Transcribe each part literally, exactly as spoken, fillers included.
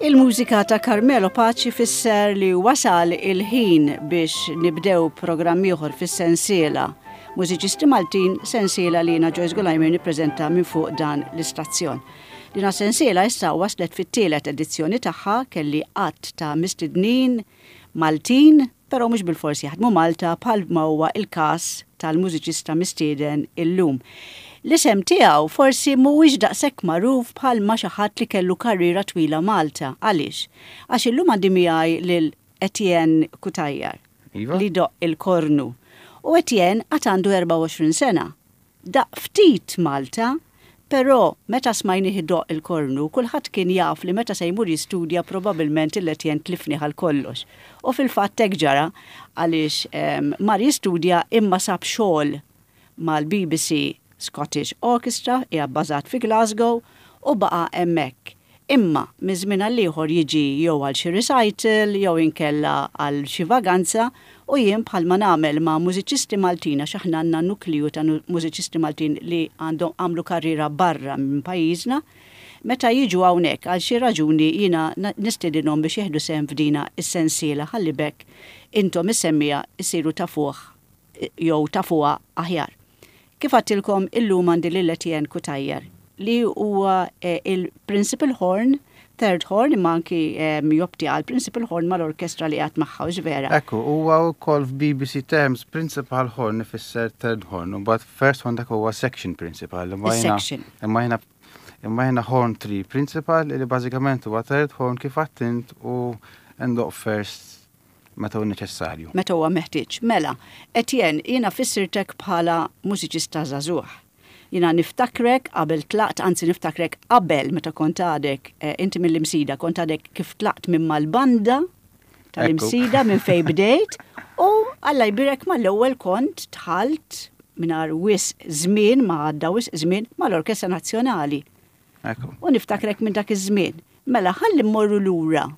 Il-mużika ta' Carmelo Paci fisser li wasal il-ħin biex nibdew programm ieħor fis-sensiela Mużiċisti Maltin, sensiela li jiena Joyce Gulajmer nippreżenta minn fuq dan l-istazzjon. Dina sensiela issa waslet fit-tielet edizzjoni tagħha. Kelli għadd ta' mistednin Maltin, però mhux bilfors jaħdmu Malta, bħal ma huwa il-każ tal-mużiċista mistieden illum. L-isem tiegħu forsi mhuwiex daqshekk magħruf bħal ma xi ħadd li kellu karriera twila Malta. Għaliex? Għax illum għandi miegħi lil Etienne Cutajar Iva? li jdoqq il-kornu. U Etienne għad għandu erbgħa u għoxrin sena. Daqq ftit Malta, però meta smajnih idoqq il-kornu, kulħadd kien jaf li meta se jmur jistudja probabbilment il-Etienne tlifnih għal kollox. U fil-fatt hekk ġara, għaliex em, mar jistudja imma sab xogħol mal-B B C Scottish Orchestra, hija bbażat fi Glasgow, u baqa' hemmhekk. Imma minn żmien għal ieħor jiġi jew għal xi recital jew inkella għal xi vaganza, u jien, bħalma nagħmel ma' mużiċisti Maltin, għax aħna għandna nukliju ta' nu- mużiċisti Maltin li għandhom għamlu karriera barra minn pajjiżna, meta jiġu hawnhekk għal xi raġuni jiena na- nistedinhom biex jieħdu sehem f'dina is-sensiela ħalli b'hekk intom is-semmiegħa isiru tafuh jew tafuha aħjar. Kif għedtilkom, illum għandi lil Etienne Cutajar li huwa eh, il-principal horn, third horn, imma anki eh, jopti għal principal horn mal-orkestra li għat magħha, hux vera? Ekku, huwa wkoll f'B B C terms principal horn ifisser third horn, u but first horn dak huwa section principal. Imma jiena- Is-section. Imma jiena imma jiena horn three principal, li bażikament huwa third horn kif għedt u ndoqq first meta hu neċessarju. Meta huwa meħtieġ. Mela, Etienne, jiena fissirtek bħala mużiċista żagħżugħ. Jiena niftakrek qabel tlaqt, anzi niftakrek qabel meta kont għadek, eh, inti mill-Imsida, kont għadek kif tlaqt minn mal-banda tal-Imsida minn fej bdejt, u Alla jbirek mal-ewwel kont dħalt mingħajr wisq żmien, ma għadda wisq żmien, mal-Orkestra Nazzjonali. Ekku. U niftakrek minn dak iż-żmien. Mela ħalli mmorru lura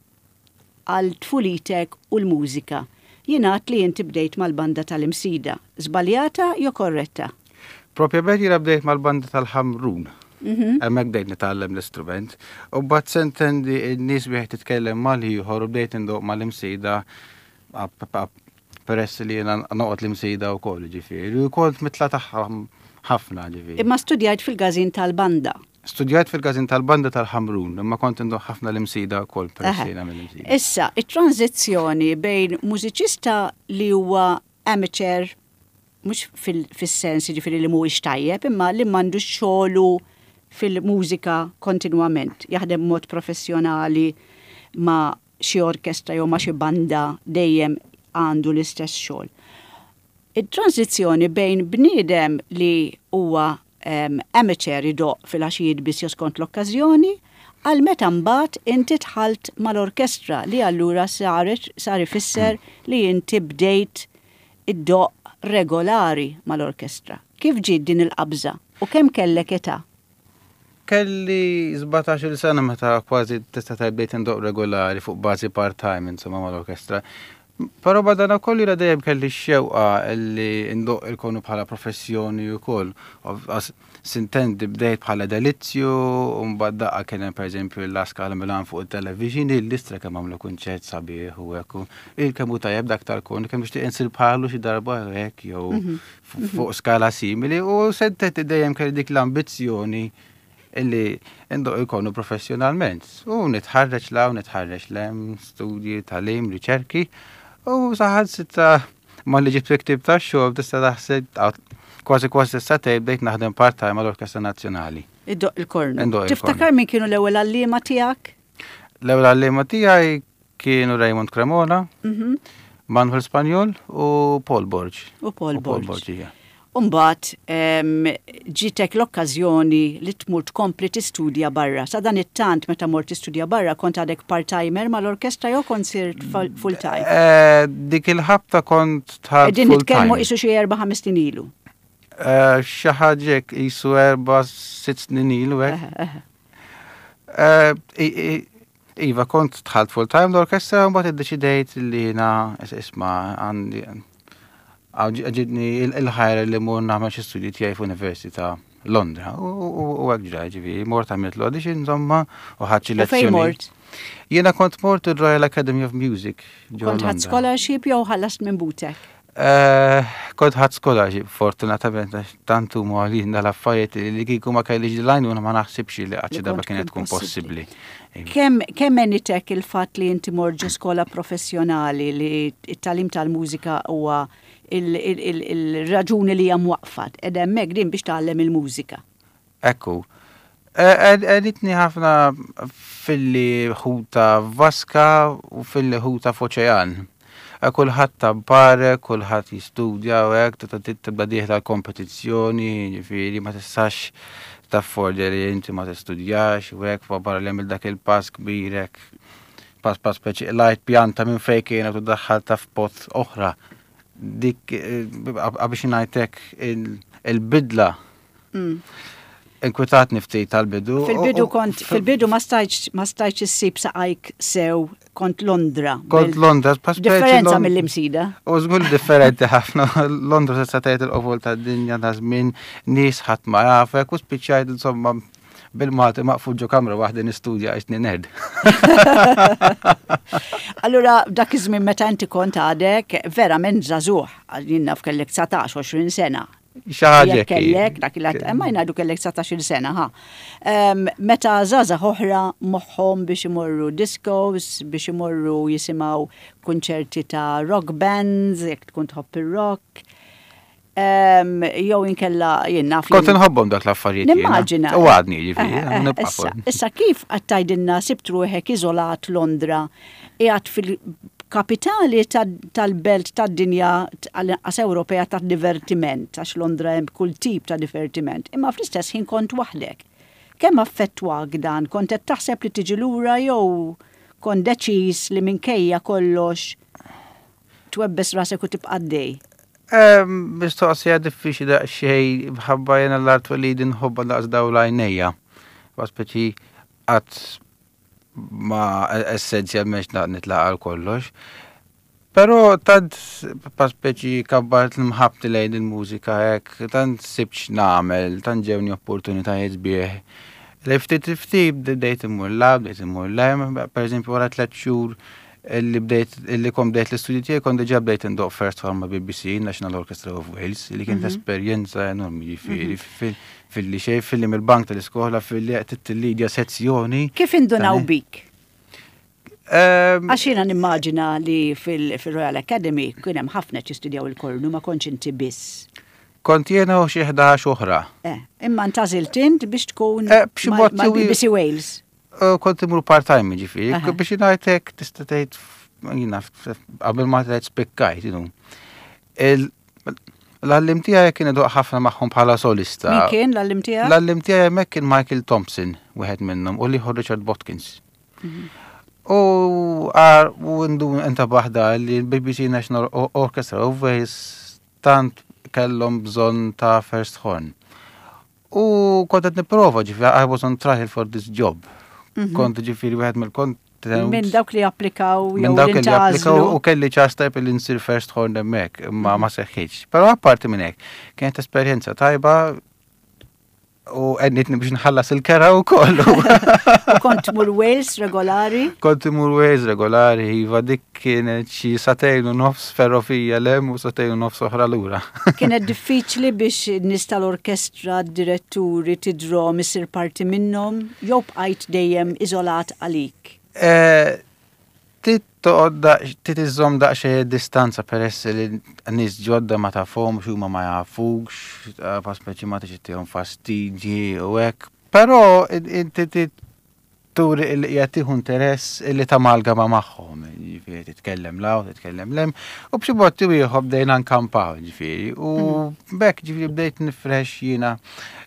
għal tfulitek u l-mużika. Jingħad li inti bdejt mal-banda tal-Imsida. Żbaljata jew korretta? Propjament jiena bdejt mal-banda tal-Ħamrun. Mhm. Hemmhekk bdejt nitgħallem l-istrument. U mbagħad s'intendi n-nies wieħed titkellem mal-ieħor u bdejt indoqq mal-Imsida peress li jiena noqgħod l-Imsida wkoll, ġifieri. U kont mitla tagħha ħafna, ġifieri. Imma studjajt fil-każin tal-banda. Studjajt fil-każin tal-banda tal-Ħamrun, imma kont indoqq ħafna l-Imsida wkoll peress Aha. li jiena mill-Imsida. Issa, it-tranzizzjoni bejn mużiċista li huwa amateur, mhux fil-sens ġifieri li mhuwiex tajjeb, imma li m'għandux xogħlu fil-mużika kontinwament, jaħdem mod professjonali ma' xi orkestra jew ma' xi banda, dejjem għandu l-istess xogħol. Il-tranzizzjoni bejn bniedem li huwa um, amateur, idoqq fil-għaxijiet biss jew skont l-okkażjoni, għal meta mbagħad inti dħalt mal-orkestra, li allura saret sar ifisser li inti bdejt iddoqq regolari mal-orkestra. Kif ġiet din il-qabża u kemm kellek età? Kelli sbatax-il sena meta kważi tista' tgħid bdejt indoqq regolari fuq bażi part-time, insomma, mal-orkestra. Però badana kolli jiena dejjem kelli x-xewqa li ndoqq il-kornu bħala professjoni wkoll. S'intendi bdejt bħala delizzju, u mbagħad daqqa kien hemm, pereżempju, La Scala Milan fuq il-television, il-listra kemm għamlu kunċert sabiħ u hekk. Il kemm hu tajjeb dak tal-kornu, kemm nixtieq insir bħalu xi darba hekk jew fuq skala simili, u s'intendi dejjem kelli dik l-ambizzjoni illi ndoqq il-kornu professjonalment. U nitħarreġ 'l hawn, nitħarreġ 'l hemm, studji, tagħlim, riċerki. U saħansitra malli ġibt ktieb ta' xogħol, tista' taħseb, kważi kważi tista' tgħid bdejt naħdem part-time mal-Orkestra Nazzjonali. Iddoqq il-kornu. Indoqq il-kornu. Tiftakar min kienu l-ewwel għalliema tiegħek? L-ewwel għalliema tiegħi kienu Raymond Cremona, Mhm. Manuel Spanjol u Paul Borg. U Paul U Paul Borg. Borg, ija. Umbagħad ġitek l-okkażjoni li tmur tkompli tistudja barra. Sa dan it-tant meta mort tistudja barra kont għadek part-timer mal-orkestra jew kont sirt full-time? Eh, Dik il-ħabta kont dħalt Qegħdin nitkellmu full-time. qisu xi erba' ħames snin ilu. Eh, Xi ħaġa hekk, qisu erba' sitt snin ilu hekk. Eħe, eħe. Eh, i- i- Iva, kont dħalt full time l-orkestra, u mbagħad iddeċidejt li jiena isma' għandi ġibditni il-ħajra li mmur nagħmel xi studji tiegħi f'università Londra. U hekk ġra, ġifieri, mort, għamilt l-audition, insomma, u ħadt xi U fejn lezzjoni. mort? Jiena kont mort il-Royal Academy of Music ġewwa Kont ħadt Londra. scholarship jew ħallast minn butek? Eh, Kont ħadt scholarship, fortunatament, għax tant huma għalin dal-affarijiet li kieku ma kellix l-għajnuna ma naħsibx li qatt xi Li darba kont kienet tkun tkun possibbli. Iva. Kemm kemm għenitek il-fatt li inti mort ġo skola professjonali, li it-tagħlim tal-mużika huwa il-raġuni li hija mwaqfat, ed hemmhekk din biex tgħallem il-mużika? Ekku. Għenitni ħafna filli ħuta f'vaska u filli ħuta f'oċean. Eh, Kulħadd tampare, kulħadd jistudja u hekk, tibda tibda dieħla l-kompetizzjoni, ġifieri ma tistax taffordja li inti ma tistudjax u hekk, fa barra li għamil dak il-pass kbir hekk. Pass pass speċi lajt pjanta minn fejn kienet u daħħalta f'pot oħra. Dik eh, biex ngħidlek il-bidla Mm. inkwetatni ftit tal-bidu. Fil-bidu U- u- kont, fil-bidu ma stajtx ma stajtx issib saqajk sew, kont Londra. Kont Bil- Londra, pa speċi Differenza Lond- mill-Imsida. U żgur differenti ħafna. Londra se tgħid il-qofol tad-dinja ta' żmien, nies ħadd ma jafek u spiċċajt, insomma, bil-Malti maqful ġo kamra waħda nistudja għax nerd. Allura dak iż-żmien meta inti kont għadek verament żagħżugħ, jien naf kellek dsatax, għoxrin sena. Xi ħaġa Jekk kellek, dak il ma jgħidu kellek dsatax-il sena, ha. Em, Meta żgħażagħ oħra moħħhom biex imorru discos, biex imorru jisimgħu kunċerti ta' rock bands, jekk tkun tħobb ir-rock. Em, Jew inkella jien naf. Kont inħobbhom dak l-affarijiet jiena. Nimmaġina. U għadni, ġifieri, Eh, eh, nibqa' Issa, fuq. issa kif qed tgħidilna sibt ruħek iżolat Londra, qiegħed fil-kapitali tal-belt tad-dinja, għal Ewropea, tad-divertiment, għax Londra hemm kull tip ta' divertiment, imma fl-istess ħin kont waħdek. Kemm affettwak dan? Kont qed taħseb li tiġi lura jew kont deċiż li minkejja kollox twebbes rasek u tibqa' għaddej? Em, Mistoqsija diffiċli daqsxejn bħabba jena l-art li nħobba daqs daw l-għajnejja. Wa speċi qatt ma essenzjalment nitlaq għal kollox. Però tant pa speċi kabbart l-mħabbti lejn il-mużika hekk, tant sibx nagħmel, tant ġewni opportunitajiet sbieħ. Li ftit ftit bdejt immur la, bdejt immur le, per eżempju wara tliet xhur illi bdejt illi kont bdejt l-istudji tiegħi kont diġà bdejt indoq first horn ma' B B C, National Orchestra of Wales, li kienet esperjenza enormi, ġifieri fil- fil-li xejn fil-li mill-bank tal-iskola fil-li qed tillidja sezzjoni. Kif indunaw Tani. bik? Ehm, Għax jiena nimmaġina li fil- fil-Royal Academy kien hemm ħafna jistudjaw il-kornu, ma kontx inti biss. Kont jiena u xi ħdax oħra. Eh, imma ntgħażilt int biex tkun Eh, b'xi mod mal-B B C Wales. Uh, Kont imur part-time, ġifieri, Aha. biex ngħidlek tista' tgħid jiena qabel ma tgħid spikkajt, you know. Il- L-għallim tiegħi kien idoq ħafna magħhom bħala solista. Min kien l-għallim tiegħek? L-għallim tiegħi hemmhekk kien Michael Thompson, wieħed minnhom, u l-ieħor Richard Botkins. U għar u ndu intabaħ da li l-B B C National O- Orchestra of Wales tant kellhom bżonn ta' first horn. U kont qed nipprova, ġifieri, I was on trial for this job. Kont, ġifieri, wieħed mill-kont Minn dawk li applikaw jew minn dawk li applikaw li u kelli ċans tajb li nsir first horn hemmhekk, imma ma seħħitx. Però apparti minn hekk, kienet esperjenza tajba u għenitni biex nħallas il-kera u kollu. U kont tmur Wales regolari? Kont imur Wales regolari, iva, dik kienet xi sagħtejn u nofs ferrovija 'l hemm u sagħtejn u nofs oħra lura. Kienet diffiċli biex nies tal-orkestra, diretturi, tidrom, issir parti minnhom, jew bqajt dejjem iżolat għalik? Eh, Tit toqgħod daq- tit iżżomm daqsxejn distanza peress li nies ġodda ma tafhomx, huma ma jafux, eh, pa speċi ma tixtihom fastidji u hekk. Però inti tit turi li qiegħed tieħu interess li tamalgama magħhom, ġifieri titkellem 'l hawn, titkellem 'l hemm, u b'xi mod ieħor bdejna nkampaw, ġifieri, u b'hekk, ġifieri, bdejt nifrex jiena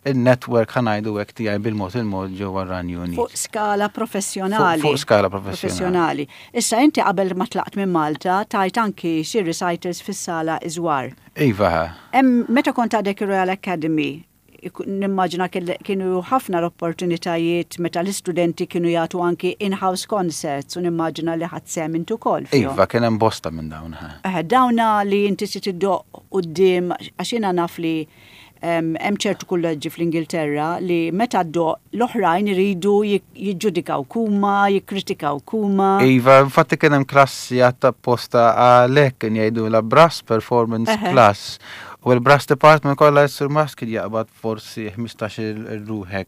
il-network, ħa ngħidu hekk, tiegħi bil-mod il-mod ġewwa r-Renju Unit. Fuq skala professjonali. Fuq skala professjonali. Professjonali. Issa inti qabel ma tlaqt minn Malta tajt anki xi recitals fis-sala Iżwar. Iva. Hemm meta kont għadek Royal Academy, nimmaġina kienu ħafna l-opportunitajiet meta l-istudenti kienu jagħtu anki in-house concerts u nimmaġina li ħadt sehem intu ukoll fihom. Iva, kien hemm bosta minn dawn. Ha. Eh, dawna li inti se tiddoq quddiem, għax jiena naf li Hemm ċertu kulleġġi fl-Ingilterra li meta ddoqq l-oħrajn iridu jiġġudikaw huma, jikkritikaw huma. Iva, infatti kien hemm klassi apposta għalhekk, kien jgħidu la brass performance class. U l-brass department kollha, s-surmast kien jaqbad forsi ħmistax-il ruħ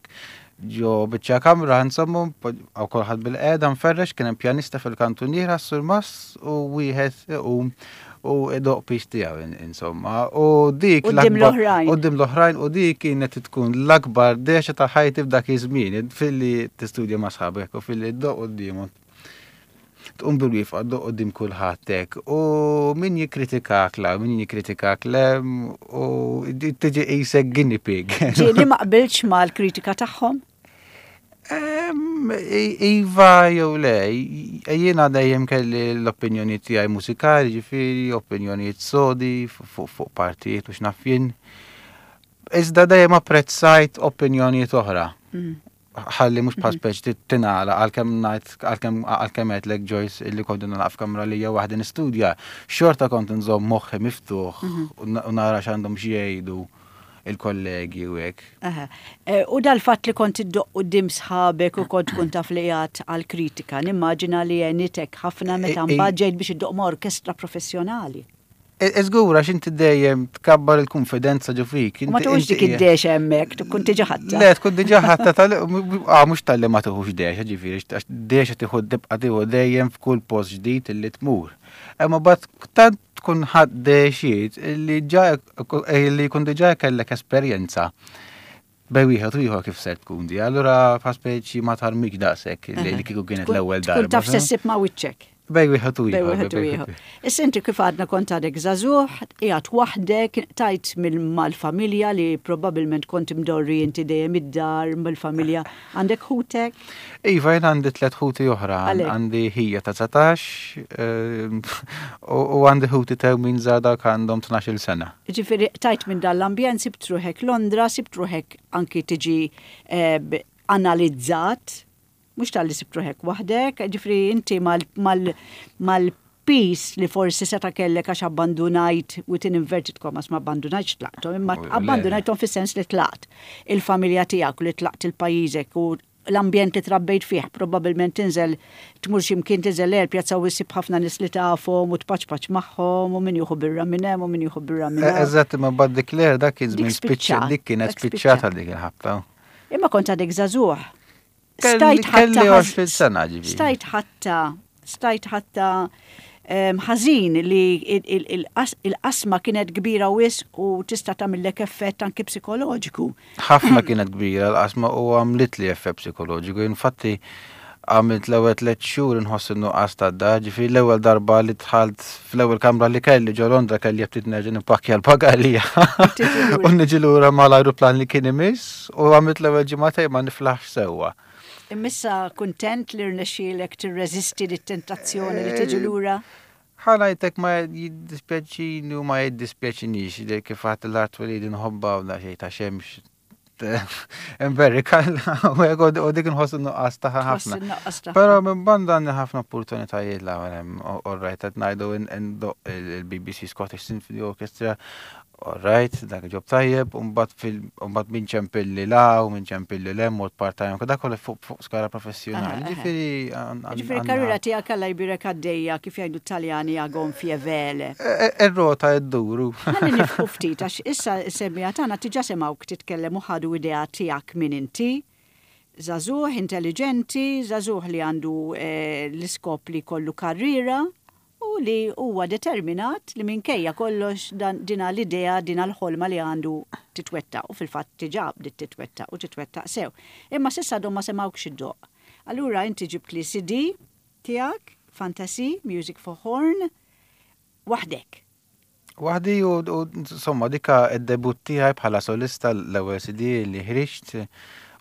ġo biċċa kamra, insomma, għaw kulħadd bilqiegħda mferrex, kien hemm pjanista fil-kantuniera, surmast u wieħed iqum u idoqq piece tiegħu, insomma. U dik Quddiem l-oħrajn. Quddiem l-oħrajn, u dik kienet tkun l-akbar dehxa ta' ħajti f'dak iż-żmien, filli tistudja ma' sħabek u filli ddoqq quddiemhom. Tqum bil-wieqfa, ddoqq quddiem kulħadd hekk. U min jikkritikak la, min jikkritikak le, u tiġi qisek guinea pig. Ġieli ma qbilx mal-kritika tagħhom? Iva jew le, jiena dejjem kelli l-opinjoni tiegħi mużikali, ġifieri opinjonijiet sodi fuq partijiet u x'naf jien. Iżda dejjem apprezzajt opinjonijiet oħra. Mm. Ħalli mhux bħal speċi tingħalaq, għalkemm ngħid għalkemm għalkemm għedtlek, Joyce, illi kont nagħlaq f'kamra li jew waħdi nistudja, xorta kont nżomm moħħi miftuħ u nara x'għandhom xi jgħidu il-kollegi u hekk. E, u dal-fatt li kont iddoqq quddiem sħabek u kont tkun taf li qiegħed għal-kritika, nimmaġina li għenitek ħafna meta mbagħad ġejt biex iddoqq ma' orkestra professjonali. Żgur, għax inti dejjem tkabbar il-konfidenza ġo fik. Ma tuħux dik id-dehxa hemmhekk, tkun diġà ħadtha. Le, tkun diġà ħadtha tal ah, mhux talli ma tuħux dehxa, ġifieri, għax dehxa tieħu, tibqa' tieħu dejjem f'kull post ġdid illi tmur. Imma mbagħad tant tkun ħadt dehxiet illi ġa illi jkun diġà kellek esperjenza bejn wieħed u ieħor kif ser tkun di. Allura fa speċi ma tarmik daqshekk li kieku kienet l-ewwel darba. Tkun taf se ssib ma' wiċċek. Bejn wieħed u ieħor. Bejn wieħed u ieħor. Issa inti kif għadna kont għadek żagħżugħ, qiegħed waħdek, tajt mal-familja li probabbilment kont imdorri inti dejjem id-dar mal-familja. Għandek ħutek? Iva, jien għandi tliet ħuti oħra. Għandi ħija ta' dsatax ehm, u għandi ħuti tewmin żgħar, għandhom tnax-il sena. Ġifieri tajt minn dal-ambjent, sibt ruħek Londra, sibt ruħek anki tiġi eh, analizzat, mhux talli sibt ruħek waħdek, ġifieri inti mal-piż li forsi seta kellek għax abbandunajt, within inverted commas, ma abbandunajt, tlaqtom, imma abbandunajtom fis-sens li tlaqt il-familja tiegħek u li tlaqt il-pajjiżek u l-ambjent li trabbejt fih, probabbilment tinżel tmur x'imkien, tinżel l pjazza u ssib ħafna nies li tafhom u tpaċpaċ magħhom u min jieħu birra minn hemm u min jieħu birra minn hemm. Eżatt, ma bad dik l dak kien żmien spiċċa, dik kienet spiċċata dik il-ħabta. Imma kont għadek żagħżugħ. Stajt ħatta għoxrin sena, ġifieri. Stajt ħatta, stajt ħatta ħażin li il-qasma kienet kbira wisq u tista' tagħmillek effett anki psikoloġiku. Ħafna kienet kbira l-qasma u għamlit li effett psikoloġiku. Infatti għamilt l-ewwel tliet xhur inħoss in-nuqqas tad-dar, ġifieri l-ewwel darba li dħalt fl-ewwel kamra li kelli ġo Londra kelli ftit nerġa' nippakkja l-bagalja u niġi lura mal-ajruplan li kien imiss, u għamilt l-ewwel ġimagħtejn ma niflaħx sewwa. Imma issa kuntent li rnexxielek tirreżisti lit-tentazzjoni li tiġi lura? Ħa ngħidlek, ma jiddispjaċini u ma jiddispjaċinix li kif għat l-art li nħobba u xejn ta' xemx Imberika u dik nħossu nuqqas tagħha ħafna. Però minn banda għandi ħafna opportunitajiet la all right, qed ngħidu ndoqq il-B B C Scottish Symphony Orchestra, all right, dak job tajjeb, u mbagħad minn ċempilli la u minn ċempilli le mod part-time, dak kollu fuq skala professjonali. Ġifieri. Ġifieri karriera tiegħek, Alla jbierek, għaddejja, kif jgħidu Taljani, a gonfie vele. Ir-rota dduru. Ħalli nieqfu ftit għax issa semmiegħa tagħna diġà semgħuk titkellem u ħadu idea tiegħek min inti. Żagħżugħ intelligenti, żagħżugħ li għandu eh, l-iskop li kollu karriera u li huwa determinat li minkejja kollox dina l-idea, dina l-ħolma li għandu titwettaq, u fil-fatt diġà bdiet titwettaq u titwettaq sew. Imma s'issa għadhom ma semgħukx iddoqq. Allura inti ġibt li C D tiegħek, Fantasy, Music for Horn, waħdek. Waħdi u insomma dika id-debut tiegħi bħala solista, l-ewwel C D li ħriġt.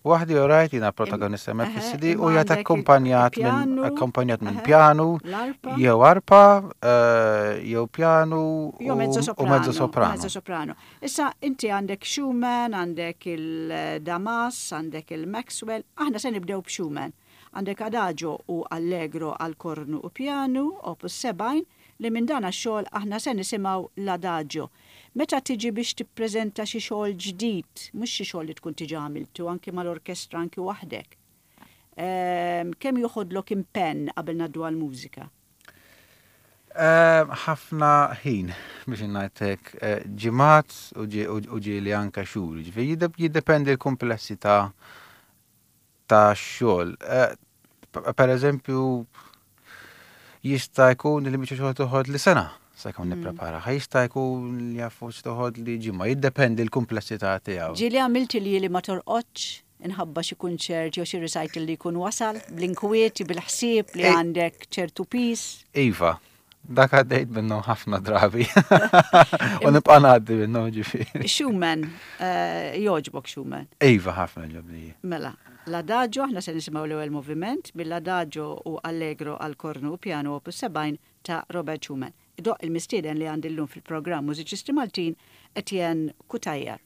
Waħdi u rajt jiena protagonista me fis-C D u jgħat akkompanjat minn akkompanjat minn pianu, jew arpa, eh, jew pianu u mezzo soprano. Mezzo soprano. Issa inti għandek Schumann, għandek il-Damas, għandek il-Maxwell, aħna se nibdew b'Schumann. Għandek Adagio u Allegro għal kornu u pianu, opus sebgħin, li minn dan għax-xogħol aħna se nisimgħu l-Adagio. Meta tiġi biex tippreżenta xi xogħol ġdid, mhux xi xogħol li tkun diġà għamiltu anki mal-orkestra anki waħdek. Ehm, kemm joħodlok impenn qabel ngħaddu għall-mużika? Ehm, ħafna ħin biex ngħidlek eh, ġimgħat u ġieli anke xhur, ġifieri jiddependi l-kumplessità ta' xogħol. Eh, per eżempju, jista' jkun li biċċa xogħol toħodli sena sakemm mm. nipprepara. Jista' jkun li jafu toħodli ġimgħa, jiddependi l-kumplessità tiegħu. Ġieli għamilt li li ma torqodx inħabba xi kunċert jew xi recital li jkun wasal bl-inkwiet, bil-ħsieb li għandek ċertu pis. Iva, dak għaddejt minnhom ħafna drabi. U nibqa' ngħaddi minnhom ġifieri. Schumann, eh, jogħġbok Schumann. Iva, ħafna jogħġobni. Mela, l-Adagio, aħna se nisimgħu l-ewwel moviment mill-Adagio u Allegro għal kornu u piano opus sebgħin ta' Robert Schumann. Idoqq il-mistieden li għandi llum fil-programm Mużiċisti Maltin, Etienne Cutajar.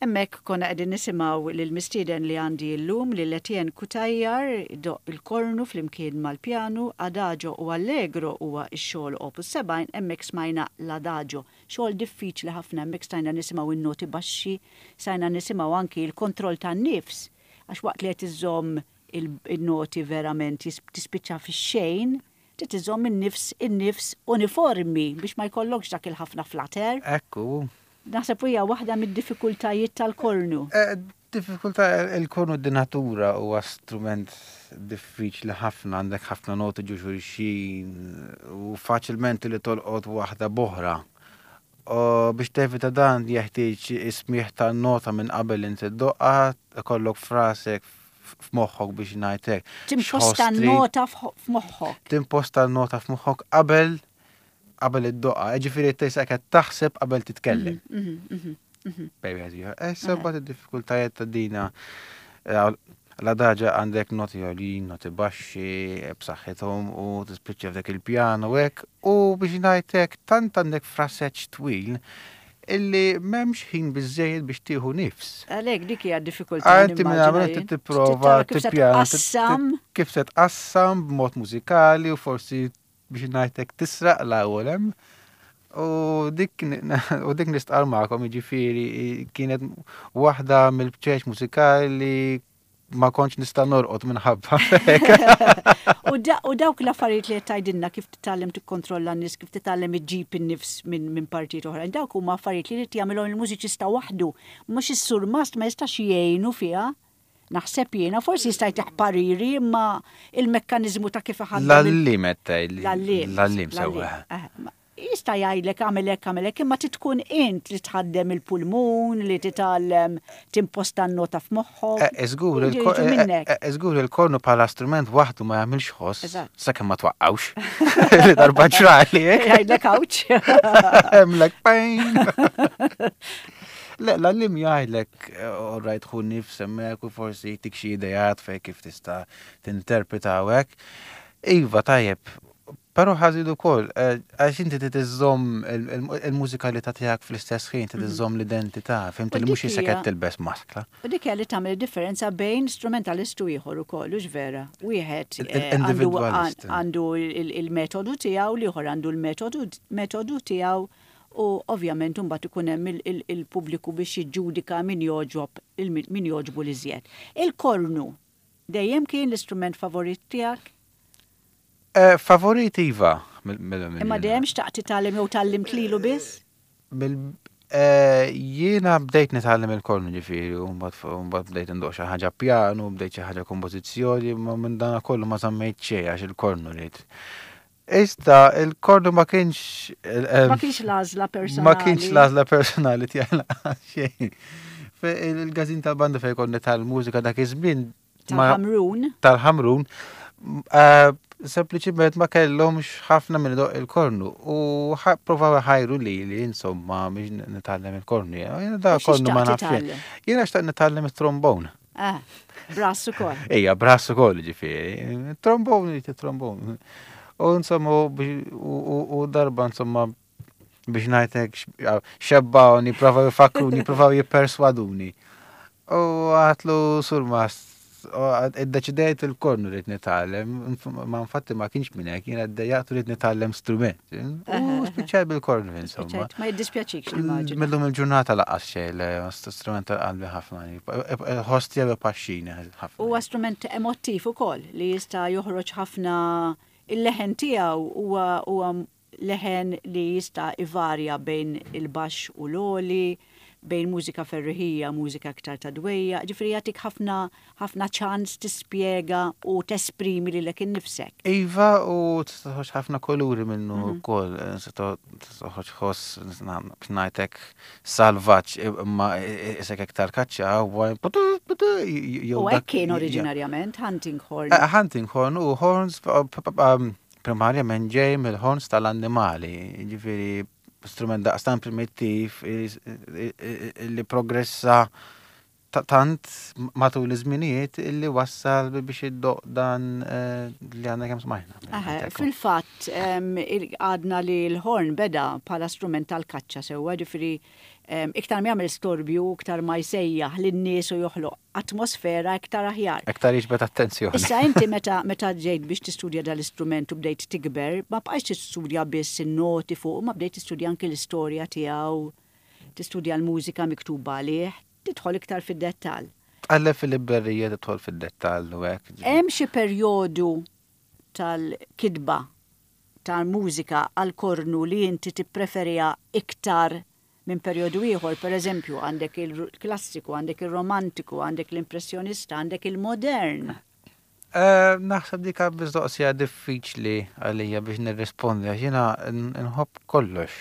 Hemmhekk konna qegħdin nisimgħu lil mistieden li għandi llum, lil Etienne Cutajar, idoqq il-kornu flimkien mal-pjanu. Adagio u Allegro huwa x-xogħol opus sebgħin, hemmhekk smajna l-Adagio. Xogħol diffiċli ħafna, hemmhekk stajna nisimgħu in-noti baxxi, stajna nisimgħu anki l-kontroll tan-nifs, għax waqt li qed iżomm il-noti verament tispiċċa fix-xejn, trid iżomm in-nifs in-nifs uniformi biex ma jkollokx dak il-ħafna flutter. Ekku. Naħseb hija waħda mid-diffikultajiet tal-kornu. Eh, diffikultà il-kornu di natura huwa strument diffiċli ħafna, għandek ħafna noti ġo xulxin u faċilment li tolqot waħda b'oħra. U biex tevita dan jeħtieġ ismiħ ta' nota minn qabel inti ddoqqha, ikollok f'rasek, f'moħħok biex ngħidlek. Timposta nota f'moħħok. Timposta nota f'moħħok qabel qabel iddoqqha, ġifieri tista' qed taħseb qabel titkellem. Mhm, mhm, mhm, Baby, issa mbagħad id-diffikultajiet ta' dina eh, l-Adagio għandek noti għolin, noti baxxi, b'saħħithom u tispiċċa f'dak il-pjano hekk u biex ngħidlek tant għandek fraseġġ twil illi m'hemmx ħin biżejjed biex tieħu nifs. Għalhekk dik hija diffikultà. Inti minn għamil tipprova tippjana kif se tqassam b'mod mużikali u forsi biex ngħidlek tisraq l-ewwel hemm. U dik u dik nistqar magħkom, jiġifieri kienet waħda mill-bċeċ mużikali ma kontx nista' norqod minħabba. U dawk l-affarijiet li qed tgħidilna, kif titgħallem tikkontrolla n-nies, kif titgħallem iġġib in-nifs minn partijiet oħra, dawk huma affarijiet li jrid jagħmilhom il-mużiċista waħdu, mhux is-surmast ma jistax jgħinu fiha. Naħseb jiena, forsi jista' jtih pariri, imma il-mekkaniżmu ta' kif iħaddem. L-għalliem qed. L-għalliem. L-għalliem sewwa. Jista' jgħidlek għamel hekk, għamel hekk, imma tkun int li tħaddem il-pulmun, li titgħallem timposta n-nota f'moħħok. Żgur, żgur il-kornu bħala strument waħdu ma jagħmilx ħoss, sakemm ma twaqqawx. Li darba ġrali. Jgħidlek "Awċ." Hemmlek pain. Le, l-għalliem jgħidlek, all right, ħu nifs hemmhekk u forsi jtik xi ideat fej kif tista' tinterpreta hekk. Iva, tajjeb, però ħażin ukoll, għax inti trid iżżomm il-mużikalità tiegħek fl-istess ħin, trid iżżomm l-identità, fhimt, li mhux qisek qed tilbes maskla. U dik li tagħmel differenza bejn strumentalist u ieħor ukoll, hux vera? Wieħed għandu il-metodu tiegħu, l-ieħor għandu l-metodu tiegħu u ovvjament mbagħad ikun hemm il-pubbliku biex jiġġudika min jogħġob min jogħġbu l-iżjed. Il-kornu dejjem kien l-istrument favorit tiegħek? Eh, favorit iva. Imma dejjem xtaqt titgħallem jew tgħallimt lilu biss? Eh, jiena bdejt nitgħallem il-kornu ġifieri, u mbagħad bdejt ndoq xi ħaġa pjanu, bdejt xi ħaġa kompożizzjoni, ma minn dan kollu ma żammejt xejn għax il-kornu rrid. Ista, il-kornu ma kienx. Ma kienx l-għażla personali. Ma kienx l-għażla personali tiegħi xejn. Il-każin tal-banda fejn konna tal-mużika dak iż-żmien. Tal-Ħamrun. Tal-Ħamrun. Eh, sempliċiment ma kellhomx ħafna minn idoqq il-kornu u provaw ħajru li li insomma biex nitgħallem il-kornu. Jiena da kornu ma nafx. Jiena xtaqt nitgħallem it-trombone. Ah, brass ukoll. Ejja, brass ukoll ġifieri. Trombone, trombone. U insomma, u darba insomma biex ngħidlek xebbawni, provaw jfakruni, provaw jipperswaduni. U għedtlu, "Surmast, iddeċidejt il-kornu rrid nitgħallem," ma infatti ma kienx minn hekk, jiena ddejjaqt rrid nitgħallem strument. U spiċċaj bil-kornu insomma. Ma jiddispjaċikx, nimmaġina. Millum il-ġurnata lanqas xejn, strument tal-qalbi ħafna. Ħoss tiegħu paxxini ħafna. Huwa strument emottiv ukoll li jista' joħroġ ħafna, il-leħen tiegħu huwa leħen li jista' ivarja bejn il-baxx u l-għoli, bejn mużika ferriħija, mużika aktar ta' dwejjaq, ġifieri jagħtik ħafna ħafna ċans tispjega u tesprimi lilek innifsek. Iva, u tista' toħroġ ħafna kuluri minnu wkoll, tista' toħroġ ħoss ngħidlek salvaġġ imma isek iktar kaċċa. U hekk kien oriġinarjament hunting horn. Hunting horn u horns primarjament ġej mill-horns tal-annimali, ġifieri strument daqstan primittiv li progressa tant matul iż-żminijiet illi wassal biex iddoqq dan eh, li għandna kemm smajna. Fil-fatt għadna li l-horn beda bħala strument tal-kaċċa sewwa, ġifieri iktar ma jagħmel storbju, iktar ma jsejjaħ lin-nies u joħloq atmosfera iktar aħjar. Iktar jiġbed attenzjoni. Issa inti meta meta ġejt biex tistudja dal-istrument u bdejt tikber, ma bqajtx tistudja biss in-noti fuq, ma bdejt tistudja anki l-istorja tiegħu, tistudja l-mużika miktuba għalih, tidħol iktar fid-dettall. Tqalleb fil-librerija, tidħol fid-dettall u hekk. Hemm xi perjodu tal-kitba tal-mużika għal-kornu li inti tippreferija iktar minn perjodu ieħor? Per eżempju, għandek il-klassiku, għandek il-romantiku, għandek l-impressjonista, għandek il-modern. Eh, naħseb dik mistoqsija diffiċli għalija biex nirrispondi, għax jiena nħobb kollox,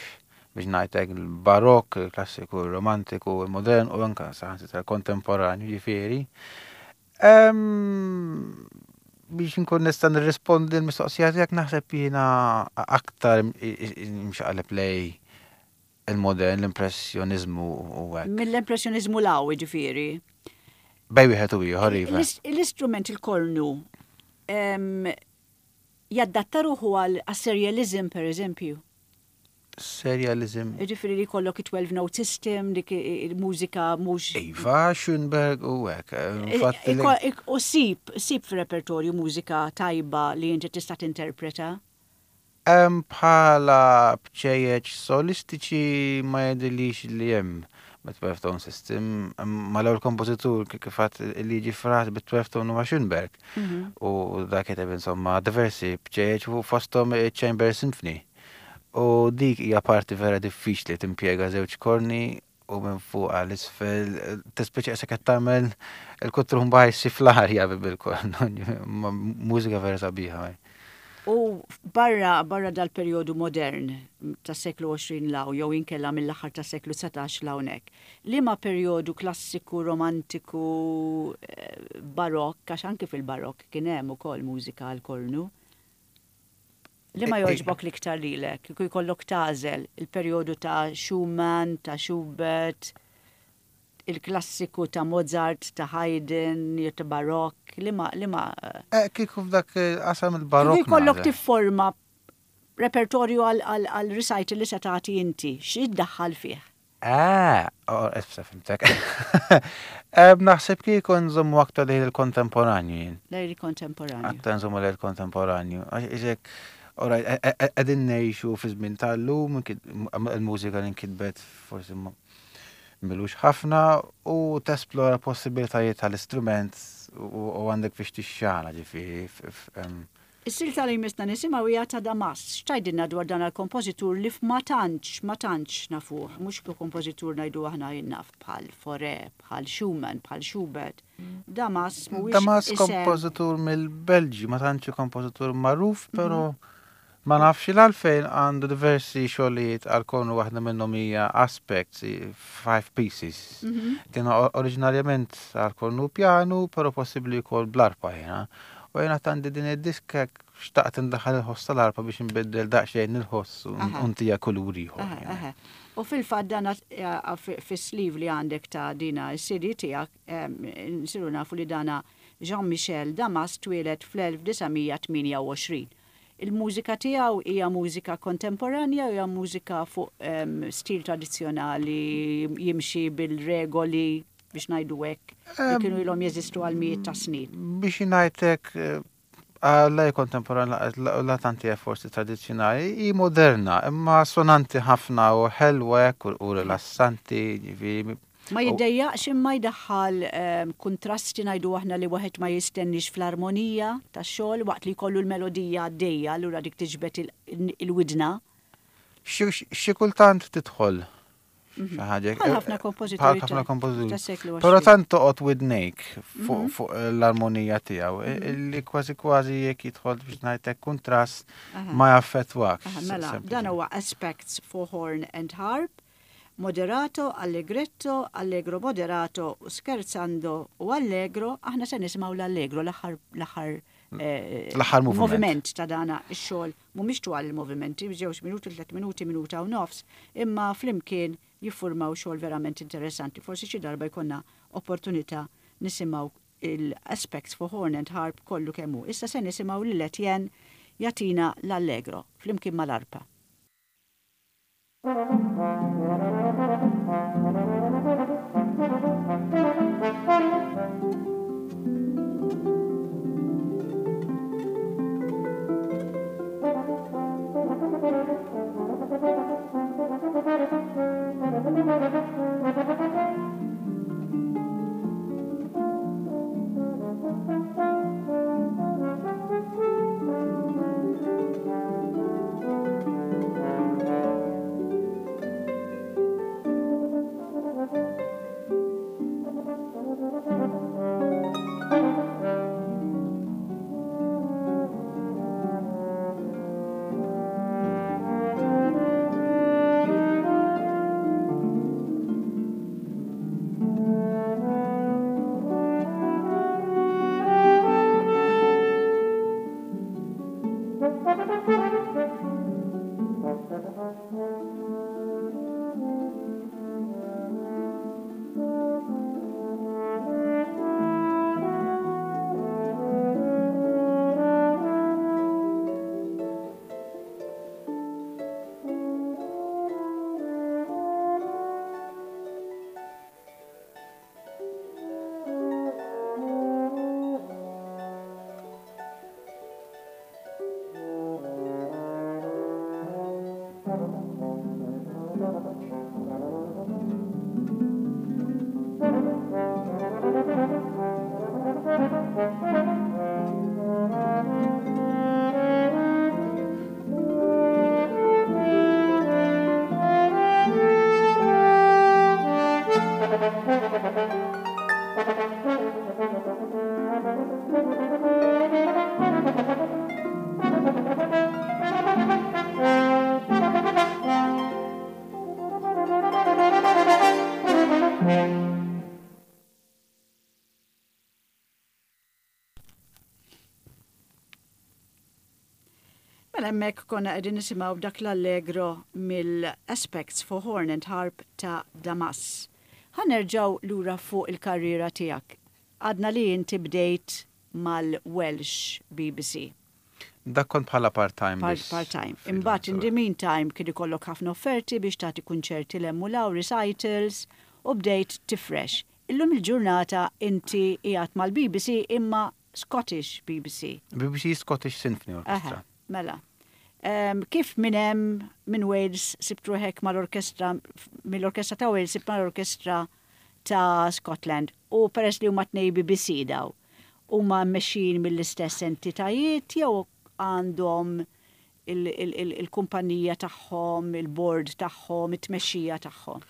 biex ngħidlek, il-barok, il-klassiku, il-romantiku, il-modern u anka saħansitra kontemporanju, ġifieri. Biex nkun nista' nirrispondi l-mistoqsija tiegħek, naħseb jiena aktar imxaqleb lejn il-modern, l-impressjonizmu u hekk. Mill-impressjonizmu 'l hawn, ġifieri. Bejn wieħed u ieħor, iva. L-istrument il-kornu jaddatta ruħu għal serialism, per eżempju? Serialism. Ġifieri li jkollok twelve note system, dik il-mużika mhux. Iva, Schoenberg u hekk. U sib, sib f'repertorju mużika tajba li inti tista' tinterpreta? Bħala bċejjeċ solistiċi ma jidhirlix li hemm twelve tone system. Ma l-ewwel kompożitur kif li jiġi f'rasi bit twelve tone huwa Schoenberg. Mhm. U dak kiteb insomma diversi bċejjeċ u fosthom Chamber Symphony. U dik hija parti vera diffiċli, timpjega żewġ korni u minn fuq għal isfel, tispiċċa qisek qed tagħmel il-kutrumba fl-arja bil-korn. Mużika vera sabiħa. U barra, barra dal-periodu modern tas seklu għoxrin 'l hawn, jew inkella mill-aħħar tas seklu dsatax 'l hawnhekk, liema periodu klassiku, romantiku, eh, barokk, għax anki fil-barokk kien hemm ukoll mużika għal kornu? Liema jogħġbok l-iktar lilek? Kieku jkollok tagħżel il-periodu ta' Schumann, ta' Schubert, il-klassiku ta' Mozart, ta' Haydn, jew ta' Barokk, liema liema Eh, kieku f'dak qasam il-barokk. Kieku jkollok tifforma repertorju għal recital li se tagħti inti, xi ddaħħal fih? Ah, oh, issa fhimtek. Naħseb kieku nżommu aktar lejn il-kontemporanju jien. Lejn il-kontemporanju. Aktar nżommu lejn il-kontemporanju. Iżek, alright, qegħdin ngħixu fi żmien tal-lum, il-mużika li nkitbet forsi m'ilux ħafna u tesplora possibilitajiet tal-istrument u għandek biex tixxala, ġifieri. Is-silta li jmissna nisimgħu hija ta' Damas. X'tgħidilna dwar dan il-kompożitur li ma tantx, ma tantx nafuh, mhux kompożitur ngħidu aħna jinnaf bħal Fauré, bħal Schumann, bħal Schubert? Damas mhuwiex Damas kompożitur mill-Belġju, ma tantx kompożitur magħruf, però ma nafx l-għalfejn għandu diversi xogħlijiet għal kornu, waħda minnhom hija Aspects, five pieces. Mhm. Kienu oriġinarjament għal kornu piano, però possibbli wkoll bl-arpa jiena. U jiena għandi din id-diska, xtaqt indaħħal il-ħoss tal-arpa biex nbiddel daqsxejn il-ħoss u ntiha kulur ieħor. U fil-fatt dana fis-sleeve li għandek ta' dina s-C D tiegħek nsiru nafu li dana Jean-Michel Damas twieled fl-elf disa' mija tmienja u għoxrin. Il-mużika tiegħu hija mużika kontemporanja, hija mużika fuq um, stil tradizzjonali, jimxi bil-regoli, biex ngħidu hekk, li kienu ilhom jeżistu għal mijiet ta' snin? Biex ngħidlek, għalla kontemporanja la tanti forsi tradizzjonali, hi moderna, imma sonanti ħafna u ħelwa u rilassanti, ġifieri. Ma jiddejjaqx imma jdaħħal um, kontrasti, ngħidu aħna, li waħed ma jistennix fl-armonija tax-xogħol waqt li jkollu l-melodija għaddejja, allura dik tiġbed il-widna? Xi kultant tidħol xi ħaġa. Bħal ħafna kompożituri. Bħal ħafna kompożituri. Però tant toqgħod widnejk fuq mhm. fuq l-armonija tiegħu mhm. li kważi kważi jekk jidħol, biex ngħidlek, kontrast ma jaffettwak. Mela, dan huwa Aspects for Horn and Harp, Moderato, Allegretto, Allegro Moderato, Scherzando u Allegro. Aħna se nisimgħu l-Allegro, l-aħħar l-aħħar eh, l-aħħar moviment ta' dana ix-xogħol. Mhumiex twal il-movimenti, żewġ minuti, tliet minuti, minuta u nofs, imma flimkien jiffurmaw xogħol verament interessanti. Forsi xi darba jkollna opportunità nisimgħu il-Aspects for Horn and Harp kollu kemm hu. Issa se nisimgħu lil Etienne jagħtina l-Allegro flimkien mal-arpa. Mela hemmhekk konna qegħdin nisimgħu dak l-Allegro mill-Aspects for Horn and Harp ta' Damas. Ħa nerġgħu lura fuq il-karriera tiegħek. Għadna li inti bdejt mal-Welsh B B C. Dak kont bħala part-time. Part, part-time. Imbagħad in the meantime kien ikollok ħafna offerti biex tagħti kunċerti 'l hemm u recitals u bdejt tifrex. Illum il-ġurnata inti qiegħed mal-B B C imma Scottish B B C. B B C Scottish Symphony Orchestra. Aha, mela. Um, kif minn hemm minn Wales sibt ruħek mal-orkestra, mill-orkestra ta' Wales sibt mal-orkestra ta' Scotland u peress li huma tnej B B C daw, huma mmexxin mill-istess entitajiet jew għandhom il-kumpanija tagħhom, il-board tagħhom, it-tmexxija tagħhom?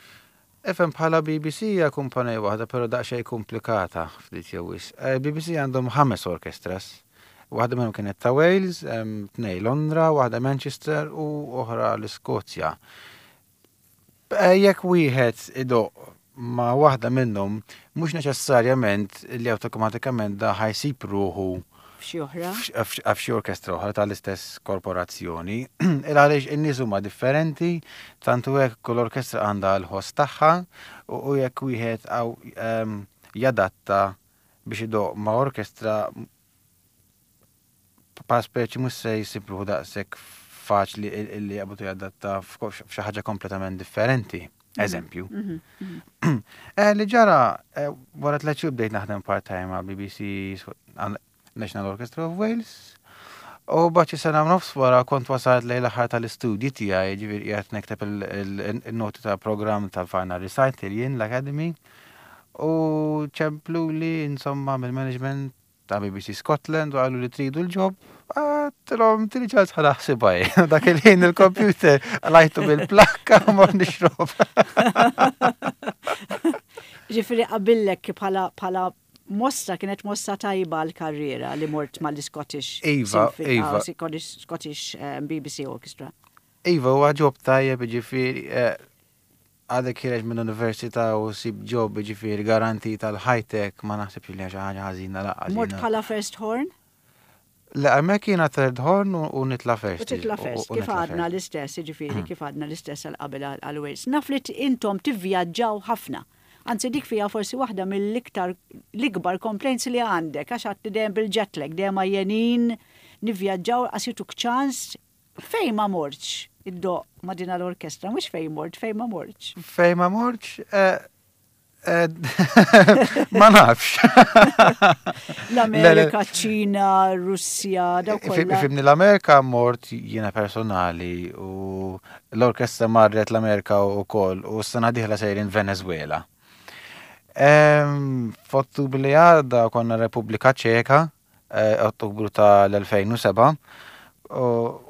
Ifhem, bħala B B C hija kumpanija waħda, però daqsxejn komplikata ftit jew wisq. Eh, B B C għandhom ħames orkestras. Waħda minnhom kienet ta' Wales, tnej Londra, waħda Manchester u oħra l-Iskozja. Eh, jekk wieħed idoqq ma' waħda minnhom, mhux neċessarjament li awtomatikament da ħa jsib ruħu f'xi oħra? F'xi orkestra oħra tal-istess korporazzjoni. Il għaliex in-nies huma differenti, tantu hekk kull orkestra għandha l-ħoss tagħha u jekk wieħed għaw jadatta biex idoqq ma' orkestra pa' speċi mhux se jsib ruħu daqshekk faċli illi jaqbdu jadatta f'xi ħaġa kompletament differenti. Mhm. Eżempju. Mhm, mhm. Eh, li ġara, eh, wara tliet xhur bdejt naħdem part-time ma' B B C National Orchestra of Wales. U xi sena nofs wara kont wasalt lejn l-aħħar tal-istudji tiegħi, ġifieri qiegħed nikteb il-noti ta' program tal-Final Recital jien l-Academy. U ċemplu li insomma mill-management ta' B B C Scotland u qallu li tridu l-job. Għedtilhom tini ċans ħa naħsibha. Dak il-ħin il-computer qlajtu bil-plakka u mort nixrob. Ġifieri qabillek bħala bħala mossa, kienet mossa tajba l-karriera li mort mal-Scottish Iva, iva. Scottish, Scottish um, B B C Orchestra. Iva, huwa job tajjeb, ġifieri, eh, għadek ħiereġ minn università u ssib job, ġifieri garanti tal-high-tech, ma naħsibx li xi ħaġa ħażina laqas. Mort bħala first horn? Le, hemmhekk jiena third horn u nitla first. U titla first, kif għadna l-istess, ġifieri, kif għadna l-istess għal qabel għal Wales. Naf li intom tivvjaġġaw ħafna. Anzi, dik fija forsi waħda mill-iktar l-ikbar complaints li għandek, għax għedt dejjem bil-jet lag, dejjem għajjenin, nivvjaġġaw, qas jtuk ċans. Fejn ma mortx iddoqq ma' din l-orkestra, mhux fejn mort, fejn ma mortx? Fejn ma mortx? Eh, eh, ma nafx. L-Amerika, Ċina, Russja, daw kollha. Ifhimni, l-Amerika mort jiena personali u l-orkestra marret l-Amerika u koll u s-sena dieħla sejrin Venezuela. Em, F'Ottubru li għadda konna Repubblika Ċeka, eh, Ottubru tal-elfejn u sebgħa, u